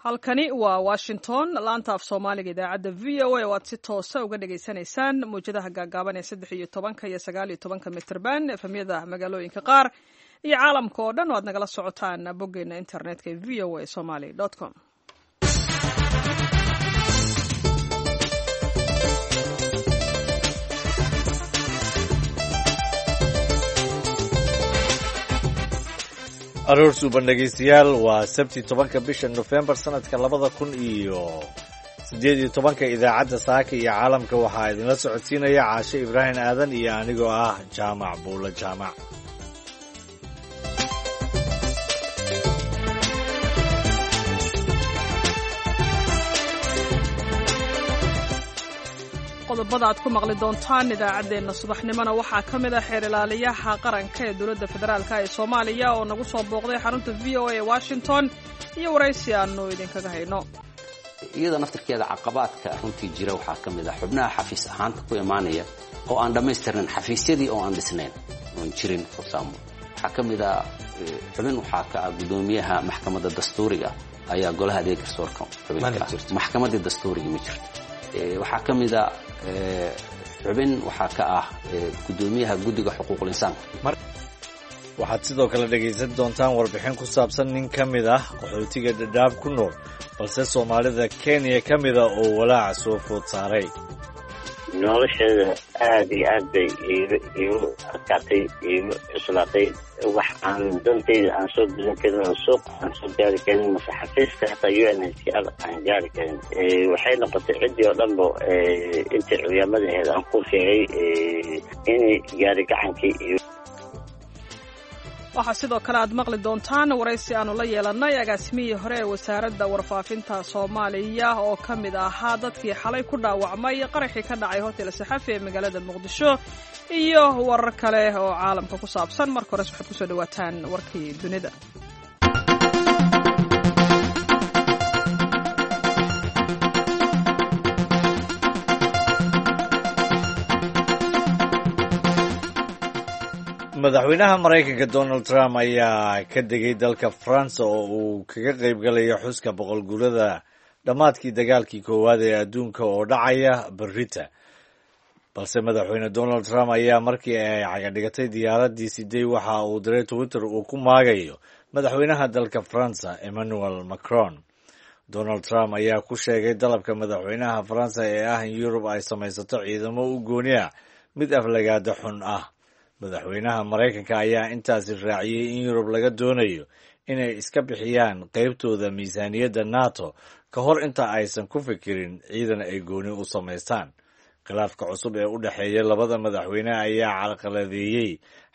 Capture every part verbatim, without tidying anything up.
Halkani waa Washington, laanta af Soomaaliga idaacadda V O A oo aad si toosa uga dhagaysanaysaan mawjadaha gaagaaban ee saddex iyo tobanka iyo sagaal iyo tobanka mitrban, efemyada magaalooyinka qaar iyo caalamka oo dhan oo aad nagala socotaan boggeena internetka ee V O A somaly com. Aroor suuban dhegaystayaal, waa Sabti tobanka bisha Nofembar sanadka labada kun iyo siddeed iyo tobanka. Idaacadda saaka iyo caalamka waxaa idinla socodsiinaya Caashe Ibraahim Aadan iyo anigoo ah Jaamac Buulo Jaamac. Qodobada aad ku maqli doontaan idaacaddeenna subaxnimona waxaa ka mid ah xeer ilaaliyaha qaranka ee dowladda federaalka ee Soomaaliya oo nagu soo booqday xarunta V O A ee Washington iyo waraysi aanu idinkaga hayno. Iyada naftirkeeda caqabaadka runtii jira waxaa ka mid ah xubnaha xafiis ahaanta ku imaanaya oo aan dhammaystirnayn, xafiisyadii oo aan dhisnayn oon jirin fursaamo. Waxaa ka mid ah xubin waxaa ka ah guddoomiyaha maxkamadda dastuuriga ayaa golaha adeeg garsoorka xubinka ah, maxkamaddii dastuuriga ma jirto. Waxaa ka mid a xubin waxaa ka ah guddoomiyaha guddiga xuquuqul insaanka. Waxaad sidoo kale dhegaysan doontaan warbixin ku saabsan nin ka mid ah qaxootiga Dhadhaab ku nool balse Soomaalida Kenya ka mida oo walaaca soo food saaray. Nolosheeda aada iyo aad bay iigu iigu adkaatay, iigu cuslaatay. Wax aan dantayda aan soo gudan karin oo suuq aan soo gaari karin mase xafiiska xataa U N H C R aan gaari karin waxay noqotay ciddii oo dhanba intii curyaamadaheeda aan ku sheegay inay gaari gacankii iyo Waxaa sidoo kale aad maqli doontaan waraysi aanu la yeelannay agaasimihii hore ee wasaaradda warfaafinta Soomaaliya oo ka mid ahaa dadkii xalay ku dhaawacmay qaraxii ka dhacay Hotel Saxafi ee magaalada Muqdisho iyo warar kale oo caalamka ku saabsan. Marka hores waxaad kusoo dhawaataan warkii dunida. Madaxweynaha Maraykanka Donald Trump ayaa ka degay dalka Faransa oo uu kaga qayb galayo xuska boqol guurada dhammaadkii dagaalkii koowaad ee adduunka oo dhacaya berrita. Balse Madaxweyne Donald Trump ayaa markii ay cagadhigatay diyaaraddii siday waxa uu diray Twitter uu ku maagayo madaxweynaha dalka Faransa Emmanuel Macron. Donald Trump ayaa ku sheegay dalabka madaxweynaha Faransa ee ah in Yurub ay samaysato ciidamo u gooni ah mid aflagaada xun ah. Madaxweynaha Maraykanka ayaa intaasi raaciyey in Yurub laga doonayo inay iska bixiyaan qaybtooda miisaaniyadda NATO ka hor inta aysan ku fikirin ciidan ay gooni u samaystaan. Khilaafka cusub ee u dhexeeya labada madaxweyne ayaa carqaladeeyey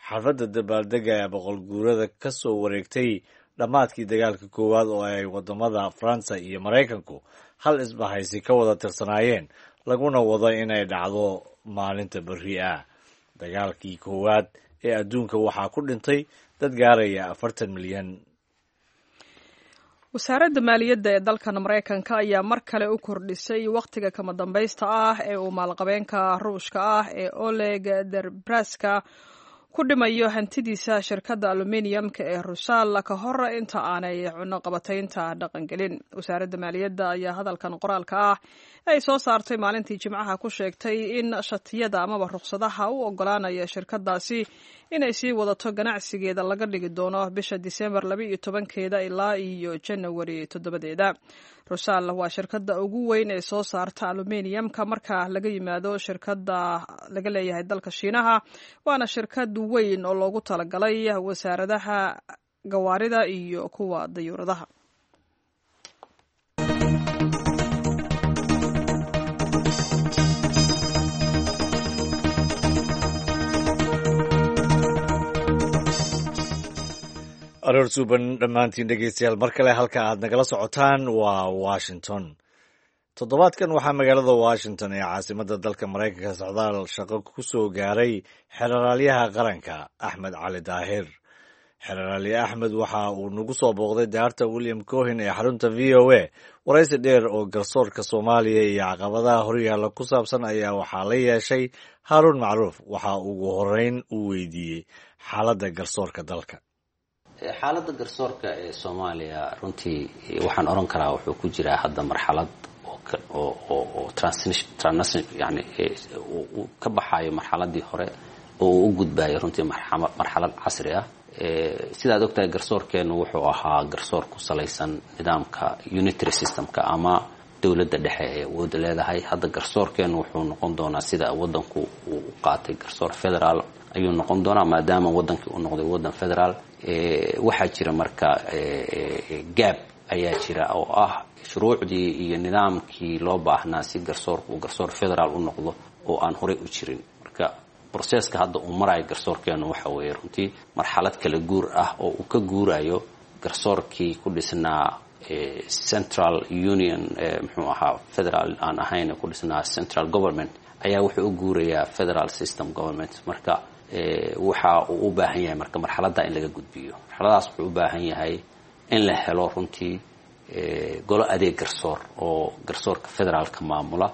xafladda dabaaldega ee boqol guurada ka soo wareegtay dhammaadkii dagaalka koowaad oo ay waddamada Faransa iyo Maraykanku hal isbahaysi ka wada tirsanaayeen, laguna wado inay dhacdo maalinta berri ah. Dagaalkii koowaad ee adduunka waxaa ku dhintay dad gaaraya afartan milyan. Wasaaradda maaliyadda ee dalkan Maraykanka ayaa mar kale u kordhisay wakhtiga kama dambaysta ah ee uu maalqabeenka Ruushka ah ee Oleg Derbraska ku dhimayo hantidiisa shirkadda aluminiumka ee Rusal ka hor inta aanay cunoqabataynta dhaqangelin. Wasaaradda maaliyadda ayaa hadalkan qoraalka ah ay soo saartay maalintii Jimcaha ku sheegtay in shatiyada amaba rukhsadaha u ogolaanaya shirkadaasi inay sii wadato ganacsigeeda laga dhigi doono bisha Disembar laba iyo tobankeeda ilaa iyo Janawari toddobadeeda. Rusal waa shirkadda ugu weyn ee soo saarta aluminiumka marka laga yimaado shirkadda laga leeyahay dalka Shiinaha, waana shirkad weyn oo loogu talagalay wasaaradaha gawaarida iyo kuwa dayuuradaha. Aroor suuban dhammaantiin dhegaystayaal, mar kale halka aad nagala socotaan waa Washington. Toddobaadkan waxaa magaalada Washington ee caasimadda dalka Maraykanka socdaal shaqo ku soo gaaray xeraalyaha qaranka Axmed Cali Daahir. Xeraalye Axmed waxa uu nagu soo booqday daarta William Cohen ee xarunta V O A. Waraysi dheer oo garsoorka Soomaaliya iyo caqabadaha horyaalla ku saabsan ayaa waxaa la yeeshay Haaruun Macruuf. Waxa ugu horeyn uu weydiiyey xaaladda garsoorka dalka. Xaaladda garsoorka ee Soomaaliya runtii waxaan oran karaa wuxuu ku jiraa hadda marxalad oo oo transition, yani uu ka baxayo marxaladii hore oo uu u gudbayo runtii marxalad casri ah. Sidaad ogtahay, garsoorkeenu wuxuu ahaa garsoor ku salaysan nidaamka unitary systemka ama dowladda dhexe ee awoodda leedahay. Hadda garsoorkeenu wuxuu noqon doonaa sida wadanku uu qaatay garsoor federaal ayuu noqon doonaa, maadaama wadankii uu noqday wadan federaal. Waxaa jira marka gap ayaa jira oo ah shuruucdii iyo nidaamkii loo baahnaa si garsoorku uu garsoor federaal u noqdo oo aan horey u jirin. Marka processka hadda uu marayo garsoorkeenu waxa weeye runtii marxalad kala guur ah oo uu ka guurayo garsoorkii ku dhisnaa central union, muxuu ahaa, federal aan ahayn, ku dhisnaa central government, ayaa wuxuu u guurayaa federal system government. Marka waxa uu u baahan yahay marka marxaladda in laga gudbiyo, marxaladaas wuxuu u baahan yahay in la helo runtii golo adeeg garsoor oo garsoorka federaalka maamula,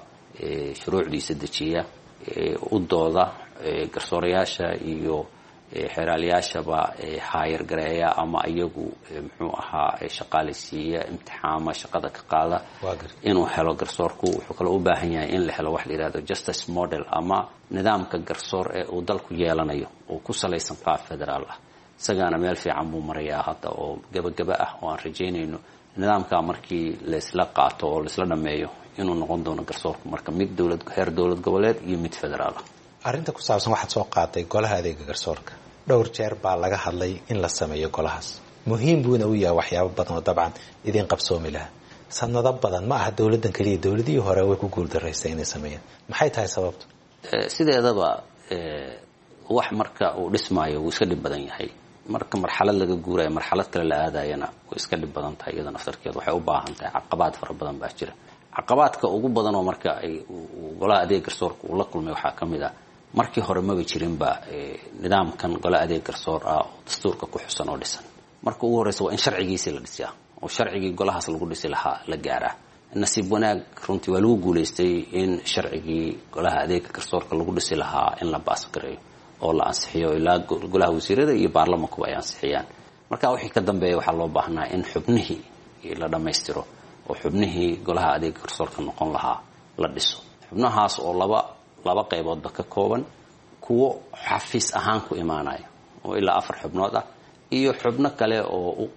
shuruucdiisa dejiya, u dooda garsoorayaasha iyo xeeraalayaashaba, hire gareeya ama iyagu muxuu ahaa shaqaalaysiiya, imtixaama, shaqada ka qaada inuu helo garsoorku. Wuxuu kaloo u baahan yahay in la helo wax la yihahdo justice model ama nidaamka garsoor ee uu dalku yeelanayo oo ku salaysan qaab federaal ah. Isagaana meel fiican buu marayaa hadda oo gabagaba ah, oo aan rajaynayno nidaamka markii laysla qaato oo laisla dhameeyo inuu noqon doono garsoorku marka mid dowlad heer dowlad goboleed iyo mid federaal ah. Arrinta ku saabsan waxaad soo qaatay golaha adeega garsoorka, dhowr jeer baa laga hadlay in la sameeyo golahaas, muhiim buuna u yahay waxyaabo badan oo dabcan idiin qabsoomi lahaa sanado badan. Ma aha dowladdan keliya, dowladihii hore way ku guuldaraystay inay sameeyaan. Maxay tahay sababtu? Sideedaba wax marka uu dhismaayo wuu iska dhib badan yahay. Marka marxalad laga guurayo marxalad kale la aadayana way iska dhib badan tahay. Iyada naftarkeeda waxay u baahan tahay, caqabaad fara badan baa jira. Caqabaadka ugu badan oo marka ay golaha adeeg garsoorka uu la kulmay waxaa ka mid ah markii hore maba jirinba nidaamkan gole adeeg garsoor ah oo dastuurka ku xusan oo dhisan. Marka ugu horreysa waa in sharcigiisii la dhisiyaa oo sharcigii golahaas lagu dhisi lahaa la gaaraa. Nasiib wanaag runtii waa lagu guulaystay in sharcigii golaha adeega garsoorka lagu dhisi lahaa in la pass gareeyo oo la ansixiyo, ilaa golaha wasiirada iyo baarlamankuba ay ansixiyaan. Marka wixii ka dambeeya waxaa loo baahnaa in xubnihii la dhammaystiro oo xubnihii golaha adeega garsoorka noqon lahaa la dhiso, xubnahaas oo laba laba qayboodba ka kooban: kuwo xafiis ahaan ku imaanaya oo ilaa afar xubnood ah iyo xubno kale oo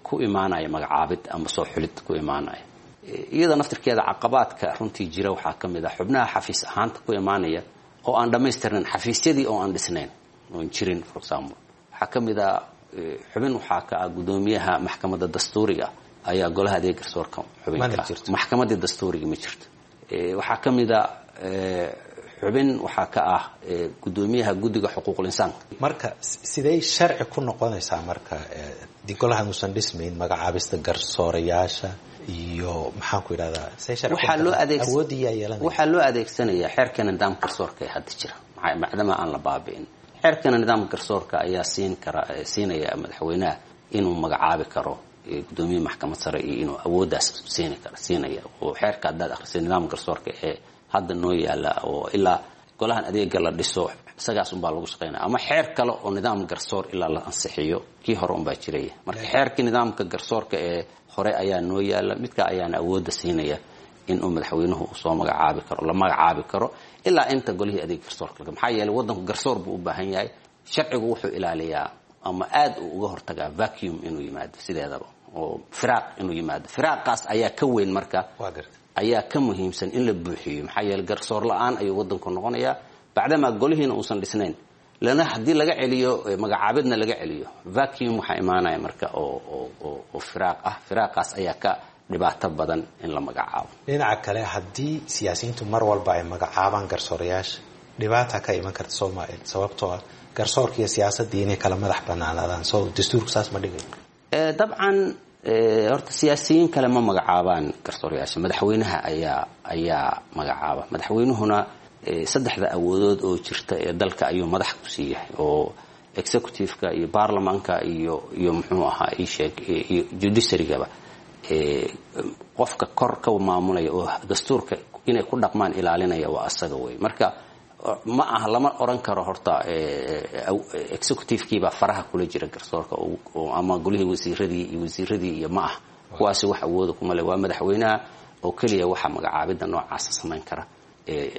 ku imaanaya magacaabid ama soo xulid ku imaanaya. Iyada naftirkeeda caqabaadka runtii jira waxaa ka mid ah xubnaha xafiis ahaanta ku imaanaya oo aan dhammaystirnayn, xafiisyadii oo aan dhisnayn oon jirin. For example, waxaa ka mid ah xubin waxaa ka ah guddoomiyaha maxkamadda dastuuriga ayaa golaha adeeg garsoorka xubinka, maxkamaddii dastuuriga ma jirto. Waxaa ka mid a xubin waxaa ka ah guddoomiyaha guddiga xuquuqul insaanka. Marka sidey sharci ku noqonaysaa marka golahan uusan dhismayn magacaabista garsoorayaasha iyo maxaan ku idhahdaa? Waxaa loo adeeg waxaa loo adeegsanayaa xeerka nidaamka garsoorka ee hadda jira, macdama aan la baabi'in. Xeerkana nidaamka garsoorka ayaa siin kara, siinaya madaxweynaha inuu magacaabi karo guddoomiye maxkamad sare iyo inuu awooddaas siin kara siinaya. Oo xeerka haddaad akhrisay nidaamka garsoorka ee hadda noo yaala oo ilaa golahan adeega la dhiso isagaas unbaa lagu shaqeynaya, ama xeer kale oo nidaam garsoor ilaa la ansixiyo kii hore unbaa jiraya. Marka xeerkii nidaamka garsoorka ee hore ayaa noo yaala, midka ayaana awoodda siinaya inuu madaxweynuhu soo magacaabi karo, la magacaabi karo ilaa inta golihii adeeg garsoorka. Maxaa yeelay waddanku garsoor buu u baahan yahay. Sharcigu wuxuu ilaaliyaa ama aad uu uga hortagaa vacuum inuu yimaado, sideedaba oo firaaq inuu yimaado. Firaaqaas ayaa ka weyn marka ayaa ka muhiimsan in la buuxiyo, maxaa yeeley garsoor la-aan ayuu waddanku noqonayaa bacdamaa golihiina uusan dhisnayn. Lana haddii laga celiyo magacaabidna laga celiyo, vacuum waxaa imaanaya marka oo oo oo firaaq ah. Firaaqaas ayaa ka dhibaato badan in la magacaabo. Dhinaca kale, haddii siyaasiyiintu mar walba ay magacaabaan garsoorayaasha, dhibaata ka iman karta soomaalia, sababtoo ah garsoorka iyo siyaasaddii inay kala madax banaanaadaan, soo dastuurku saas ma dhigayo? Dabcan horta siyaasiyiin kale ma magacaabaan garsoorayaasha, madaxweynaha ayaa ayaa magacaaba. Madaxweynuhuna saddexda awoodood oo jirta ee dalka ayuu madax ku siiyahay, oo executive-ka iyo baarlamaanka iyo iyo muxuu ahaa isheeg iyo judiciarygaba qofka kor ka maamulaya oo dastuurka inay ku dhaqmaan ilaalinaya waa asaga wey. Marka Ma aha, lama oran karo horta executive-kiibaa faraha kula jira garsoorka ama golihii wasiiradii iyo wasiiradii iyo ma ah, kuwaasi wax awooda kuma le. Waa madaxweynaha oo keliya waxa magacaabidda noocaasa samayn kara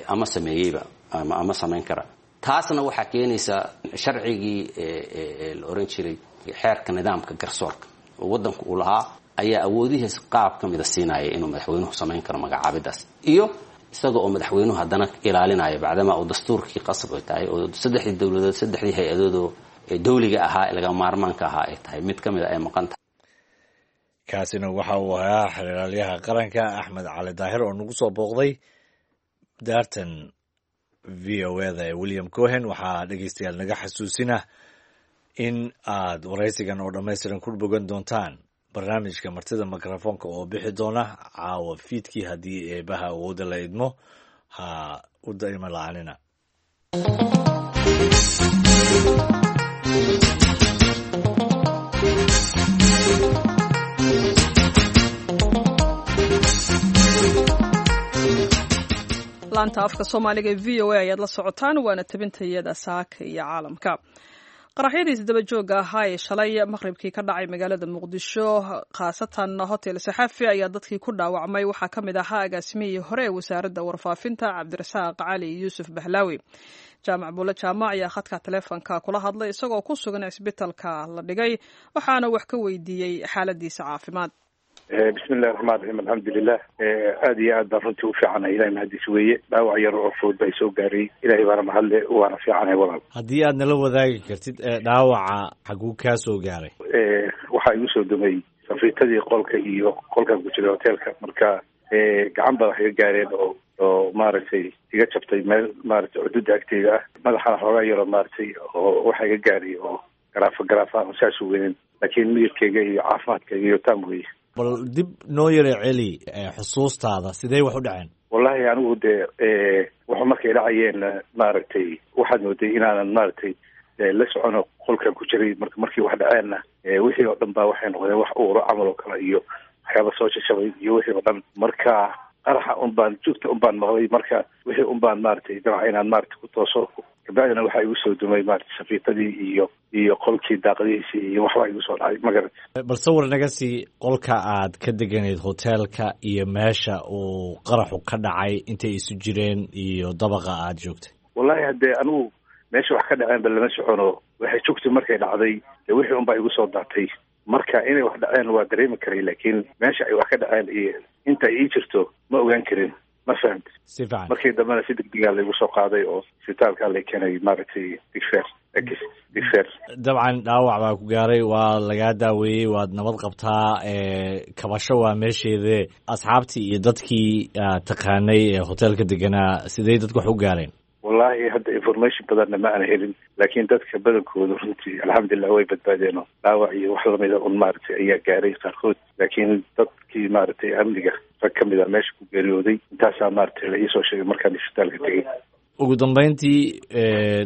ama sameeyeyba ama samayn kara. Taasna waxaa keenaysaa sharcigii la oran jiray xeerka nidaamka garsoorka oo waddanku uu lahaa ayaa awoodihiis qaab ka mida siinaya inuu madaxweynuhu samayn karo magacaabidaas, iyo isaga oo madaxweynuhu haddana ilaalinaya bacdamaa uu dastuurkii qasab ay tahay oo saddexdii dowladood, saddexdii hay-adoodoo dawliga ahaa ee laga maarmaanka ahaa ay tahay mid ka mida ay maqan tahay. Kaasina waxa uu ahaa xeraalyaha qaranka Axmed Cali Daahir oo nagu soo booqday daartan V O E da ee William Cohen. Waxaa dhegeystayaal naga xasuusina in aad waraysigan oo dhammaystiran ku bogan doontaan barnaamijka martida mikrofoonka oo bixi doona caawa fiidkii haddii eebaha awoodda la idmo. Ha u daima la-aanina. Laanta afka Soomaaliga ee V O A ayaad la socotaan, waana tabintayada saaka iyo caalamka. Qaraxyadii isdaba joogga ahaa ee shalay maqribkii ka dhacay magaalada Muqdisho, khaasatan Hotel Saxafi, ayaa dadkii ku dhaawacmay waxaa ka mid ahaa agaasimihii hore ee wasaaradda warfaafinta Cabdirasaaq Cali Yuusuf Bahlaawi. Jaamac Buulle Jaamac ayaa khadka taleefonka kula hadlay isagoo ku sugan cisbitalka la dhigay, waxaana wax ka weydiiyey xaaladiisa caafimaad. Bismillahi raxmaan raxiim, alxamdulilah, aada iyo aad baan runtii u fiicanahay, ilahay mahadiis weeye. Dhaawac yar oo fudud baa isoo gaaray, ilahay baana mahadle, waana fiicanahay walaal. Haddii aad nala wadaagi kartid, dhaawaca xaguu kaa soo gaaray? Waxaa igu soo dumay safiitadii qolka iyo qolkaan ku jiray hoteelka, marka gacan baa wax iga gaareen oo oo maaragtay iga jabtay meel maaragtay cududa agteyda ah, madaxana xoogaa yaroo maaragtay oo waxa iga gaaray oo garaafa garaafa aan saas u weynin, laakiin miyirkeyga iyo caafimaadkayga iyo taam weye. Bal dib noo yara celi xusuustaada, sidee wax u dhaceen? Wallahi anigu dee wuxuu markay dhacayeen maaragtay waxaad mooday inaanan maaragtay la socono qolkan ku jiray. Marka markii wax dhaceenna wixii oo dhan baa waxay noqdeen wax uuro camal oo kale iyo waxyaaba soo jajabay iyo wixii oo dhan. Marka qaraxa un baan jugta un baan maqlay, marka wixii un baan maaragtay dabca inaan maaragtay ku tooso, kabacdina waxaa igu soo dumay maaragtay safiitadii iyo iyo qolkii daaqadihiisii iyo waxbaa igu soo dhacay, ma garat. Bal sawir naga sii qolka aad ka deganayd hoteelka iyo meesha uu qaraxu ka dhacay, intay isu jireen iyo dabaqa aad joogtay. Wallahi haddee anigu meesha wax ka dhaceen ba lama socono, waxay jugti markay dhacday dee wixii un baa igu soo daatay. Marka inay wax dhaceen waa dareemi karay, laakiin meesha ay wax ka dhaceen iyo inta ay ii jirto ma ogaan karin, ma fahamti? Si fiican. Markii dambena si degdegaa laygu soo qaaday oo isbitaalkaa lay keenay maaragtay Digfer, Digfer. Dabcan dhaawac baa ku gaaray, waa lagaa daaweeyey, waad nabad qabtaa, kabasho waa meesheede. Asxaabtii iyo dadkii aad taqaanay ee hoteelka deganaa, sidee dadku wax u gaareen? Wallahi hadda information badanna ma aana helin, laakiin dadka badankooda runtii alxamdulilah way badbaadeen oo dhaawac iyo wax lamida un maaragtay ayaa gaaray qaarkood, laakiin dadkii maaragtay amniga rag ka mid a meesha ku geeriyooday, intaasaa maaragtay la iisoo sheegay markaan isbitaalka tegey. Ugu dambeyntii,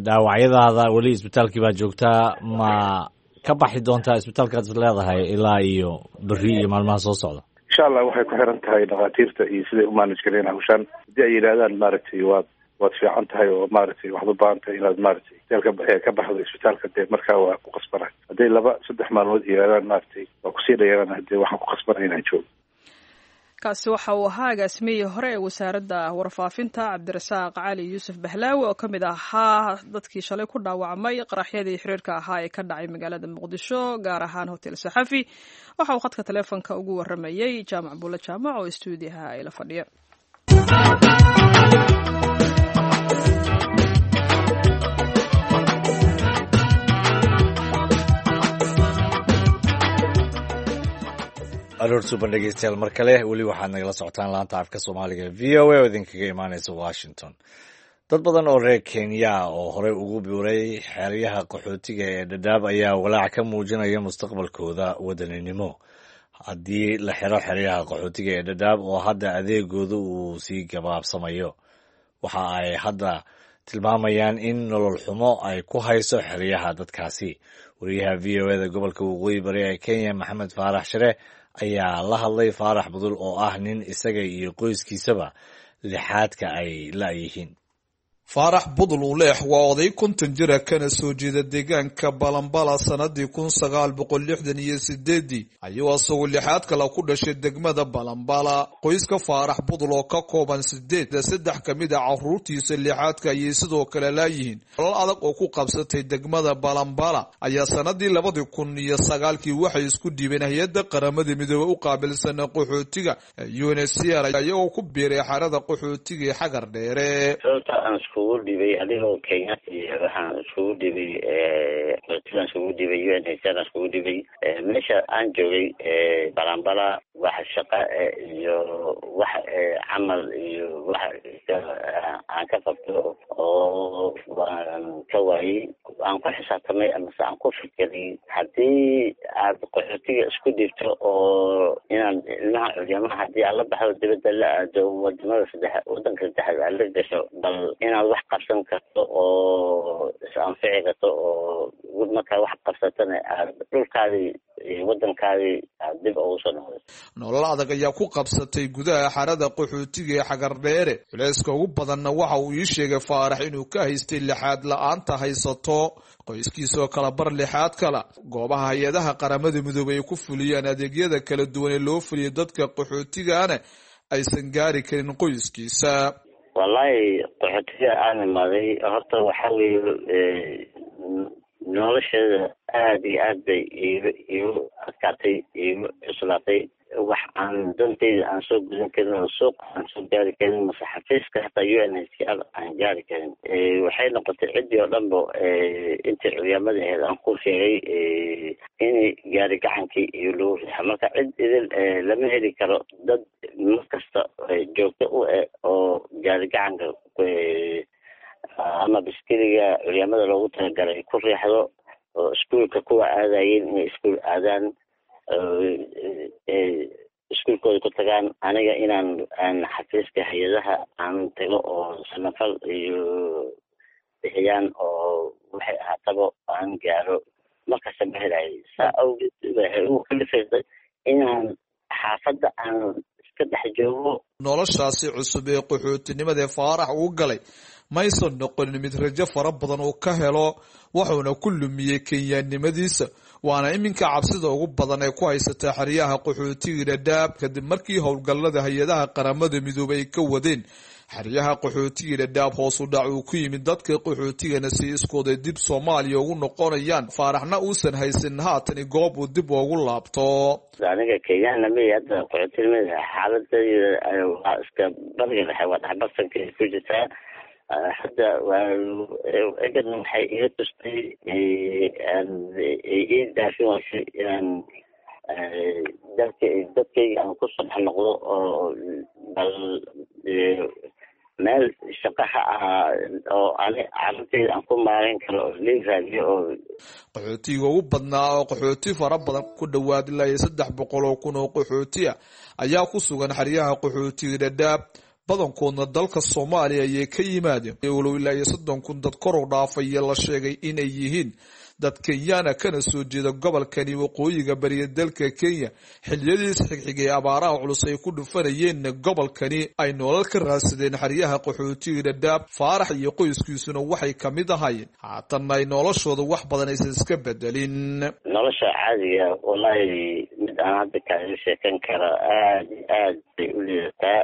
dhaawacyadaada weli isbitaalkii baa joogtaa, ma ka baxi doontaa isbitaalkaad is leedahay ilaa iyo berri iyo maalmaha soo socda? Insha Allah, waxay ku xiran tahay dhakhaatiirta iyo siday u maanaj galeen hawshaan. Haddii ay yidhaahdaan maaragtay waad waad fiican tahay oo maaragtay waxaad u baahan tahay inaad maaragtay hoteelka ka baxdo isbitaalka, dee markaa waa ku qasbana. Hadday laba saddex maalmood yidhahdaan maaragtay waa kusii dhayarana, hadee waxaan ku qasbana inaan joogo. Kaasi waxa uu ahaa agaasimihii hore ee wasaaradda warfaafinta Cabdirasaaq Cali Yuusuf Bahlaawi oo ka mid ahaa dadkii shalay ku dhaawacmay qaraxyadii xiriirka ahaa ee ka dhacay magaalada Muqdisho, gaar ahaan Hotel Saxafi. Waxa uu khadka taleefonka ugu waramayey Jaamac Buulle Jaamac oo istuudiyaha ayla fadhiya. Aroor suban dhegeystayaal mar kale, weli waxaad nagala socotaan laanta afka Soomaaliga V O A oo idinkaga imaaneysa Washington. Dad badan oo reer Kenya oo horey ugu biiray xeryaha qaxootiga ee Dhadhaab ayaa walaac ka muujinaya mustaqbalkooda wadaninimo haddii la xiro xeryaha qaxootiga ee Dhadhaab oo hadda adeegooda uu sii gabaabsamayo. Waxa ay hadda tilmaamayaan in nolol xumo ay ku hayso xeryaha dadkaasi. Wariyaha V O E da gobolka waqooyi bari ee Kenya, Maxamed Faarax Shire, ayaa la hadlay Faarax Budul oo ah nin isaga iyo qoyskiisaba lixaadka ay la'yihiin. Faarax Budul Uleex waa oday konton jira kana soo jeeda deegaanka Balambala sanadii kun sagaal boqol lixdan iyo sideedii ayuu asagoo lixaad kale ku dhashay degmada Balambala. Qoyska Faarax Budul oo ka kooban sideed, saddex ka mid a caruurtiisa lixaadka ayay sidoo kale laayihiin. Nolol adag oo ku qabsatay degmada Balambala ayaa sanadii labadii kun iyo sagaalkii waxay isku dhiibeen hay-adda Qaramada Midoobey u qaabilsan qaxootiga U N H C R, iyagoo ku biiray xerada qaxootiga ee Xagar Dheere. Iskugu dhibay adigoo Kenya, waxaan iskugu dhibay qaxootigaan, iskugu dhibay U N H C R, iskugu dhibay meesha aan joogay Balambala. Wax shaqa iyo wax camal iyo wax aan ka qabto oo waan ka waayey. Aan ku xisaabtamay amase aan ku fikiray haddii aad qaxootiga isku dhibto oo inaan ilmaha curyamaha haddii aad la baxdo dibadda la aado, wadamada saddex, wadanka saddexaad aad la gasho, bal inaad wax qabsan karto oo is anfici karto, oo markaa wax qabsatana aad dhulkaadii iyo wadankaadii aad dib ugu soo noqdo. Nolol adag ayaa ku qabsatay gudaha xerada qaxootiga ee Xagardheere. Culeyska ugu badanna waxa uu ii sheegay Faarax inuu ka haystay lixaad la-aanta haysato qoyskiisoo kala bar lixaad kala. Goobaha hay-adaha Qaramada Midoobey ay ku fuliyaan adeegyada kala duwan ee loo fuliyo dadka qaxootigana aysan gaari karin qoyskiisa. Wallahi qaxootiga aan imaaday horta waxaa weeye nolosheeda aada iyo aad bay iigu iigu adkaatay, iigu cuslaatay. Wax aan dantayda aan soo gudan karin oo suuq aan soo gaari karin mase xafiiska hataa U N H C R aan gaari karin. Waxay noqotay ciddii oo dhan ba intii curyaamada ahayd aan ku sheegay in gaari gacankii iyo lagu rixa. Marka cid idil lama heli karo dad mar kasta joogto u eh oo gaari gacanka ama biskiliga curyaamada loogu talagalay ku riixdo, oo iskuolka kuwa aadayeen inay iskuol aadaan, iskuolkooda ku tagaan. Aniga inaan aan xafiiska hay-adaha aan tago oo samafal iyo bixiyaan oo waxay ahaataba aan gaaro markasta ma helayo. Saa awgeed waxay ugu kalifaysay inaan xaafadda aan iska dhex joogo. Noloshaasi cusub ee qaxootinimada Faarax uu galay maysan noqonin mid rajo fara badan uu ka helo, wuxuuna ku lumiyey kenyaannimadiisa, waana iminka cabsida ugu badan ee ku haysata xeryaha qaxootiga Dhadhaab kadib markii howlgallada hay-adaha Qaramada Midoobey ay ka wadeen xeryaha qaxootiga Dhadhaab hoos u dhac uu ku yimid, dadka qaxootigana si iskooday dib Soomaaliya ugu noqonayaan, Faaraxna uusan haysan haatan goob uu dib ugu laabto. Aniga kenyaana mi hadda qaxootinimada xaaladayda waa iska bariga dhexe, waa dhexbartanka ku jirtaa hadda. Egadna waxay iga tustay ii daafin waysay inaan dalka dadkayga aan kusoo dhex noqdo oo bal meel shaqa ha ahaa oo ani carruurtayda aan ku maareyn karo oo lii raadiyo oo Qaxootiga ugu badnaa oo qaxooti fara badan ku dhowaad ilaa iyo saddex boqol oo kun oo qaxooti ah ayaa ku sugan xeryaha qaxootiga Dhadhaab, badankoodna dalka Soomaaliya ayay ka yimaadeen, walow ilaa iyo soddon kun dad kor u dhaafaya la sheegay inay yihiin dad Kenyaana kana soo jeeda gobolkani waqooyiga bariya dalka Kenya. Xilliyadiis xigxigay abaaraha culus ay ku dhufanayeenna gobolkani ay nolol ka raadsadeen xeryaha qaxootiga Dhadhaab. Faarax iyo qoyskiisuna waxay kamid ahaayeen, haatanna ay noloshooda wax badan aysan iska bedelin. Nolosha caadiga wallahi mid aan hadda kaaga sheekan karo aada iyo aad bay u liidataa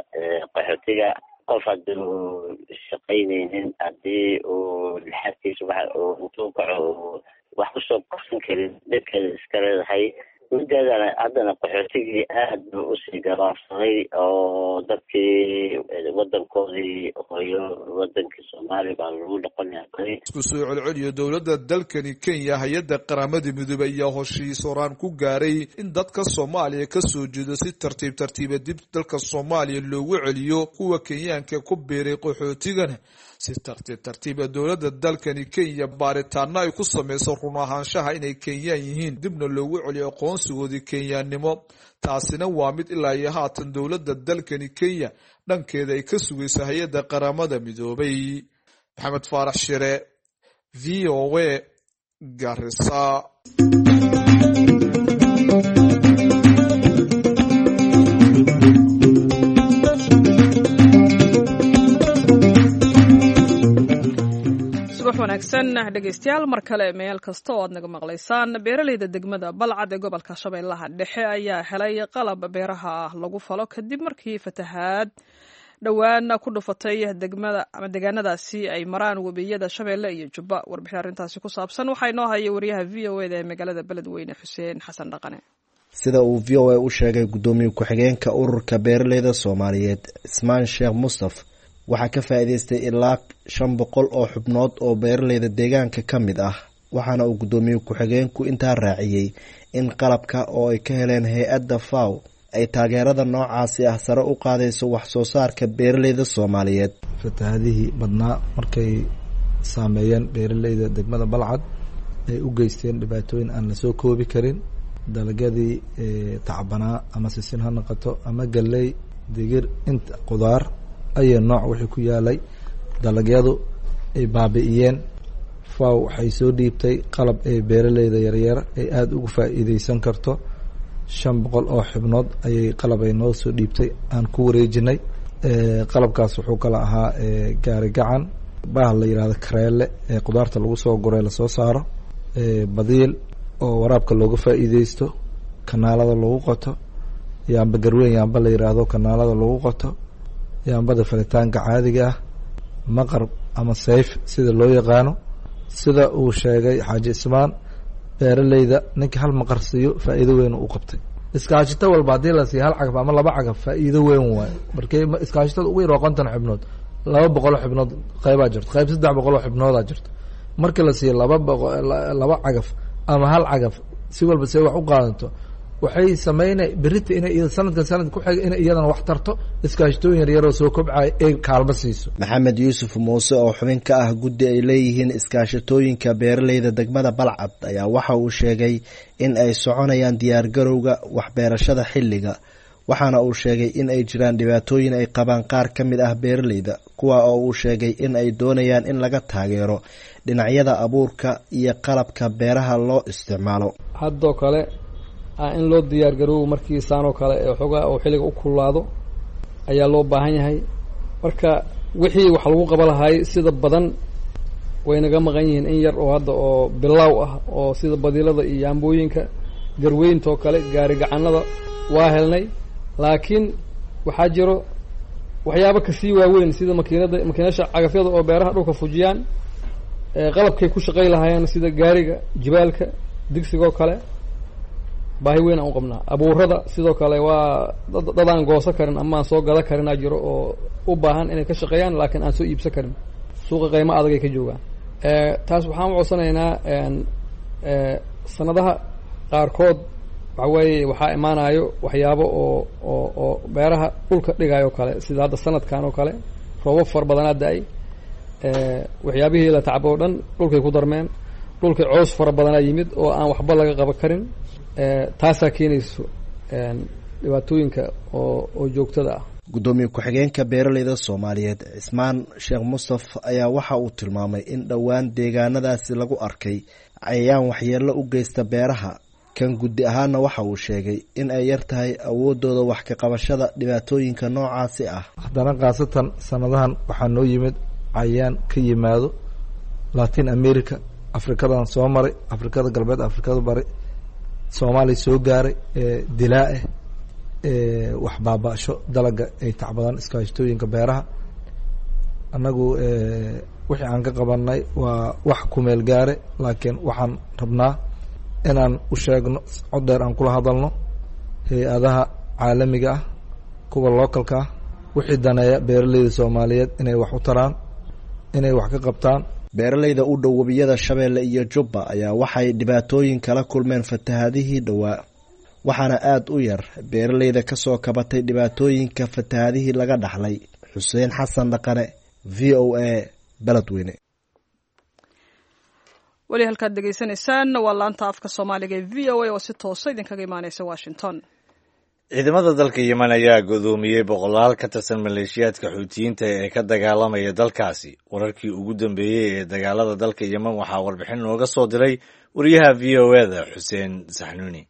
qaxootiga. Qof haddii uu shaqaynaynin, haddii uu lixaadkiisa waxa uu intuu kaco wax kusoo qabsan karin, dhibkeeda iska leedahay. Mideedana haddana qaxootigii aad buu usii gabaabsaday oo dadkii wadankoodii hooyo, wadankii Soomaaliya baa lagu noqonaya. Isku soo celceliyo dowladda dalkani Kenya, hay-adda Qaramada Midoobey ayaa heshiis horaan ku gaaray in dadka Soomaaliya ka soo jeedo si tartiib tartiiba dib dalka Soomaaliya loogu celiyo, kuwa Kenyaanka ku biiray qaxootigana si tartiib tartiiba dowladda dalkani Kenya baaritaano ay ku sameyso run ahaanshaha inay Kenyaan yihiin, dibna loogu celiyo aqoonsigoodii Kenyaannimo. Taasina waa mid ilaa iyo haatan dowladda dalkani Kenya dhankeeda ay ka sugayso hay-adda Qaramada Midoobay. Maxamed Faarax Shire, V O A, Garissa. Wanaagsan dhegeystayaal, mar kale meel kasta oo aad naga maqlaysaan. Beeraleyda degmada Balcad ee gobolka Shabeellaha Dhexe ayaa helay qalab beeraha lagu falo kadib markii fatahaad dhowaan ku dhufatay degmada ama deegaanadaasi ay maraan webiyada Shabeelle iyo Jubba. Warbixin arrintaasi ku saabsan waxaa inoo haya wariyaha V O E da ee magaalada Beledweyne, Xuseen Xasan Dhaqane. Sida uu V O A u sheegay guddoomiye ku-xigeenka ururka beeraleyda Soomaaliyeed, Cismaan Sheekh Mustaf, waxaa ka faa'iideystay ilaa shan boqol oo xubnood oo beeraleyda deegaanka ka mid ah. Waxaana uu guddoomiye ku-xigeenku intaa raaciyey in qalabka oo ay ka heleen hay-adda FAO ay taageerada noocaasi ah sare u qaadayso wax soo saarka beeraleyda Soomaaliyeed. Fatahaadihii badnaa markay saameeyeen beeraleyda degmada Balcad, ay u geysteen dhibaatooyin aan lasoo koobi karin, dalagyadii tacbanaa, ama sisin ha noqoto ama galley, digir, inta qudaar ayay nooc wixii ku yaalay dalagyadu ay baabi'iyeen. FAO waxay soo dhiibtay qalab ay beeraleyda yaryar ay aada ugu faa'iideysan karto. Shan boqol oo xubnood ayay qalab ay noo soo dhiibtay aan ku wareejinay. Qalabkaas wuxuu kala ahaa gaari gacan, bahal la yihahdo kareele ee qudaarta lagu soo guray lasoo saaro, badiil oo waraabka looga faa'iideysto, kanaalada lagu qoto, yaamba garweyn yaamba la yidhaahdo kanaalada lagu qoto, yaambada falitaanka caadiga ah, maqar ama sayf sida loo yaqaano. Sida uu sheegay Xaaji Ismaan, beeraleyda ninka hal maqar siiyo faa'iido weyn u qabtay. Iskaashito walba haddii la siiyo hal cagaf ama laba cagaf, faa'iido weyn waayo. Markay iskaashitada ugu yar waa konton xubnood, laba boqoloo xubnood qaybaa jirto, qayb saddex boqoloo xubnoodaa jirto. Marka la siiyo laba boqo laba cagaf ama hal cagaf, si walba see wax u qaadanto, waxay sameynay berita inay sanadkan sanadka ku xiga inay iyadana wax tarto, iskaashatooyin yaryaroo soo kobcaya ee kaalmo siiso. Maxamed Yuusuf Muuse oo xubin ka ah guddi ay leeyihiin iskaashatooyinka beeraleyda degmada Balcad ayaa waxa uu sheegay in ay soconayaan diyaargarowga waxbeerashada xilliga. Waxaana uu sheegay in ay jiraan dhibaatooyin ay qabaan qaar ka mid ah beeraleyda, kuwa oo uu sheegay in ay doonayaan in laga taageero dhinacyada abuurka iyo qalabka beeraha loo isticmaalo. Haddoo kale in loo diyaar garoobo markii saanoo kale ee xoogaa oo xilliga u kululaado ayaa loo baahan yahay. Marka wixii wax lagu qaba lahaay sida badan way naga maqan yihiin, in yar oo hadda oo bilaaw ah oo sida badiilada iyo yaambooyinka garweynta oo kale, gaari gacanada waa helnay, laakiin waxaa jiro waxyaabo kasii waaweyn sida makiinada, makiinasha cagafyada oo beeraha dhulka fujiyaan, qalabkay ku shaqay lahaayeen sida gaariga jibaalka, digsigoo kale. Baahi weyn aan u qabnaa. Abuurada sidoo kale waa dad aan goosan karin ama aan soo gada karinaa jiro oo u baahan inay ka shaqeeyaan, laakiin aan soo iibsan karin, suuqa qiimo adag ay ka joogaan. Taas waxaan u codsanaynaa, sanadaha qaarkood waxa weeye waxaa imaanayo waxyaabo oo oo oo beeraha dhulka dhigayo kale, sida hadda sanadkan oo kale roobab fara badanaa da-ay, waxyaabihii la tacbo o dhan dhulkay ku darmeen, dhulkay coos fara badanaa yimid oo aan waxba laga qaban karin. Taasaa keenayso dhibaatooyinka oo oo joogtada ah. Guddoomiye ku-xigeenka beeraleyda Soomaaliyeed, Cismaan Sheekh Mustaf, ayaa waxa uu tilmaamay in dhowaan deegaanadaasi lagu arkay cayayaan waxyeello u geysta beeraha. Kan guddi ahaana waxa uu sheegay in ay yar tahay awoodooda wax ka qabashada dhibaatooyinka noocaasi ah. Haddana khaasatan sanadahan waxaa noo yimid cayayaan ka yimaado Latin America, Afrikadan soo maray, Afrikada Galbeed, Afrikada Bari, Soomaaliya soo gaaray, dilaa-eh wax baaba-sho dalaga ay tacbadaan iskaashatooyinka beeraha. Annagu wixii aan ka qabanay waa wax kumeel gaare, laakiin waxaan rabnaa inaan u sheegno, cod dheer aan kula hadalno hay-adaha caalamiga ah, kuwa localka ah, wixii daneeya beeraleyda Soomaaliyeed inay wax u taraan, inay wax ka qabtaan. Beeraleyda u dhow webiyada Shabeelle iyo Jubba ayaa waxay dhibaatooyin kala kulmeen fatahaadihii dhowaa, waxaana aada u yar beeraleyda kasoo kabatay dhibaatooyinka fatahaadihii laga dhaxlay. Xuseen Xasan Dhaqane, V O A, Beledweyne. Weli halkaad degeysanaysaan waa laanta afka Soomaaliga ee V O A oo si toosa idinkaga imaaneysa Washington. Ciidamada dalka Yemen ayaa godoomiyey boqolaal ka tirsan maleeshiyaadka Xuutiyiinta ee ka dagaalamaya dalkaasi. Wararkii ugu dambeeyey ee dagaalada dalka Yemen waxaa warbixin nooga soo diray wariyaha V O E da, Xuseen Saxnuuni.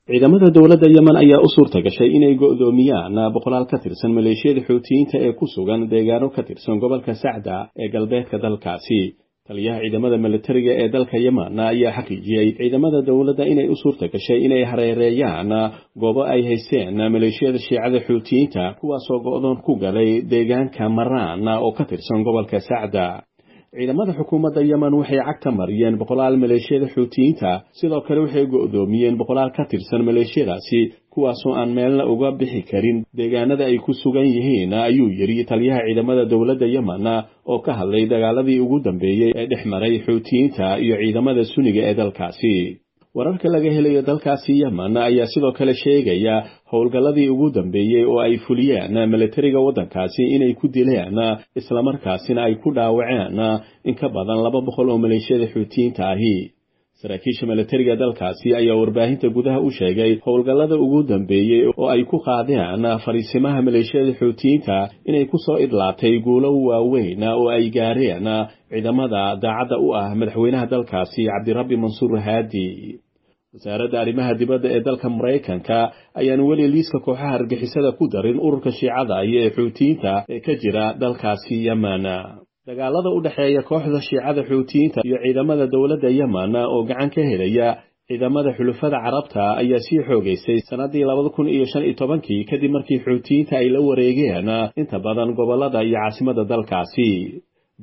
Ciidamada dowladda Yemen ayaa u suurta gashay inay go'doomiyaan boqolaal ka tirsan maleeshiyada Xuutiyiinta ee ku sugan deegaano ka tirsan gobolka Sacda ee galbeedka dalkaasi. Taliyaha ciidamada militariga ee dalka Yemen ayaa xaqiijiyey ciidamada dowladda inay u suurta gashay inay hareereeyaan goobo ay haysteen maleeshiyada Shiicada Xuutiyiinta, kuwaasoo go'doon ku galay deegaanka Maraan oo ka tirsan gobolka Sacda. Ciidamada xukuumadda Yemen waxay cagta mariyeen boqolaal maleeshiyada Xuutiyiinta, sidoo kale waxay go'doomiyeen boqolaal ka tirsan maleeshiyadaasi, kuwaasoo aan meelna uga bixi karin deegaanada ay ku sugan yihiin, ayuu yidhi taliyaha ciidamada dowladda Yemen oo ka hadlay dagaaladii ugu dambeeyey ee dhex maray Xuutiyiinta iyo ciidamada Sunniga ee dalkaasi. Wararka laga helayo dalkaasi Yemen ayaa sidoo kale sheegaya howlgalladii ugu dambeeyey oo ay fuliyeen militariga waddankaasi inay ku dileen islamarkaasina ay ku dhaawaceen in ka badan laba boqol oo maleeshiyada Xuutiyiinta ahi. Saraakiisha militariga dalkaasi ayaa warbaahinta gudaha u sheegay howlgallada ugu dambeeyey oo ay ku qaadeen fariisimaha maleeshiyada Xuutiyiinta inay ku soo idlaatay guulo waaweyn oo ay gaareen ciidamada daacadda u ah madaxweynaha dalkaasi Cabdirabbi Mansuur Haadi. Wasaaradda arrimaha dibadda ee dalka Maraykanka ayaan weli liiska kooxaha argagixisada ku darin ururka Shiicada iyo ee Xuutiyiinta ee ka jira dalkaasi Yemen. Dagaalada u dhexeeya kooxda Shiicada Xuutiyiinta iyo ciidamada dowladda Yemen oo gacan ka helaya ciidamada xulafada Carabta ayaa sii xoogaysay sanadii labada kun iyo shan iyo tobankii kadib markii Xuutiyiinta ay la wareegeen inta badan gobolada iyo caasimadda dalkaasi.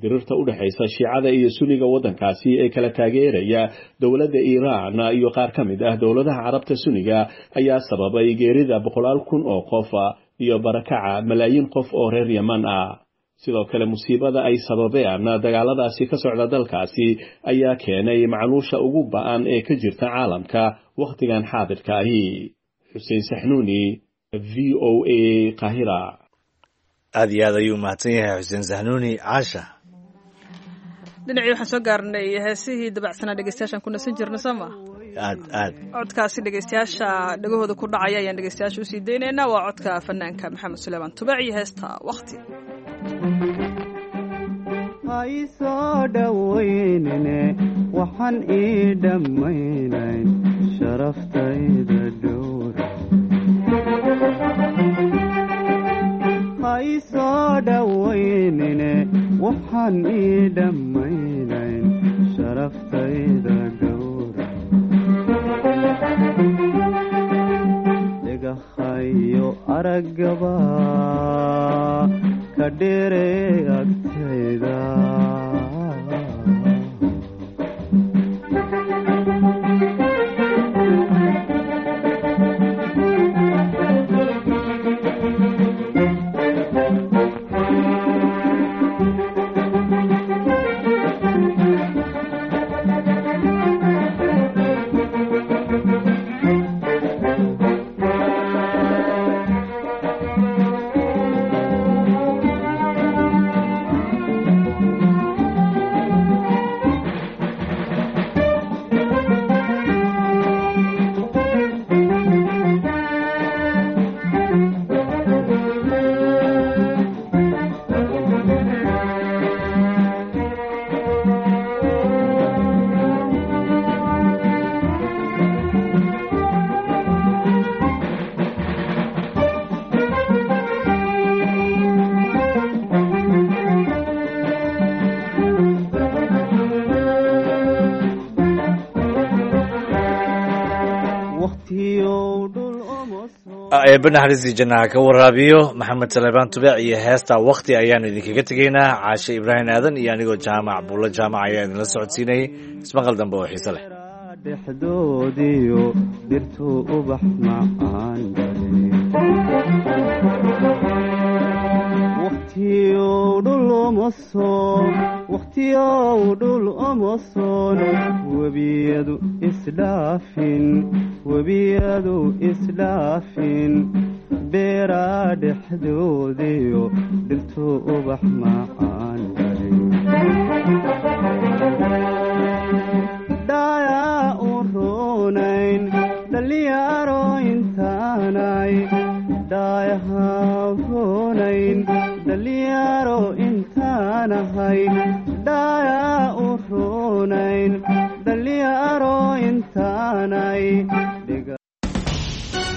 Dirirta u dhexaysa Shiicada iyo Sunniga waddankaasi ee kala taageeraya dowladda Iiraan iyo qaar ka mid ah dowladaha Carabta Sunniga ayaa sababay geerida boqolaal kun oo qof iyo barakaca malaayiin qof oo reer Yemen ah. Sidoo kale musiibada ay sababeen dagaaladaasi ka socda dalkaasi ayaa keenay macluusha ugu ba'an ee ka jirta caalamka wakhtigan xaadirka ahi. Xuseen Saxnuuni, V O A, Qaahira. Aad iyo aad ayuu mahadsan yahay Xuseen Saxnuuni. Caasha, dhinacii waxaan soo gaarnay heesihii dabacsanaa dhegeystayaashaan ku nasan jirna, soo ma? Aad aad. Codkaasi dhegeystayaasha dhegahooda ku dhacaya ayaan dhegeystayaasha usii daynaynaa. Waa codka fanaanka Maxamed Suleymaan Tubac iyo heesta Waqti. Ha ii soo dhowaynine, waxaan ii dhammaynayn sharaftayda dhowra. Ha ii soo dhowaynine, waxaan ii dhammaynayn sharaftayda dhowra. Dhagahayo araggaba ka dheere agtayda. Eebbe naxariistii jannaha ka waraabiyo Maxamed Saleebaan Tubeec iyo heesta Waqti ayaanu idinkaga tegaynaa. Caashe Ibraahim Aadan iyo anigoo Jaamac Buulo Jaamac ayaa idinla socodsiinayay. Ismaqal dambe oo xiise leh. Dhexdoodiyo dhirtuu ubax macaan waqtiyow dhul omosoon, wakhtiyow dhul omosoon, webiyadu isdhaafin, webiyadu isdhaafin, beeraa dhexdoodiyo dhirtuu ubax macaan dhaayaa u roonayn dhalinyaro intaanay, dhaayaha roonayn dhalinyaro intaanahay, dhaayaa u roonayn dhalinyaro intaanay.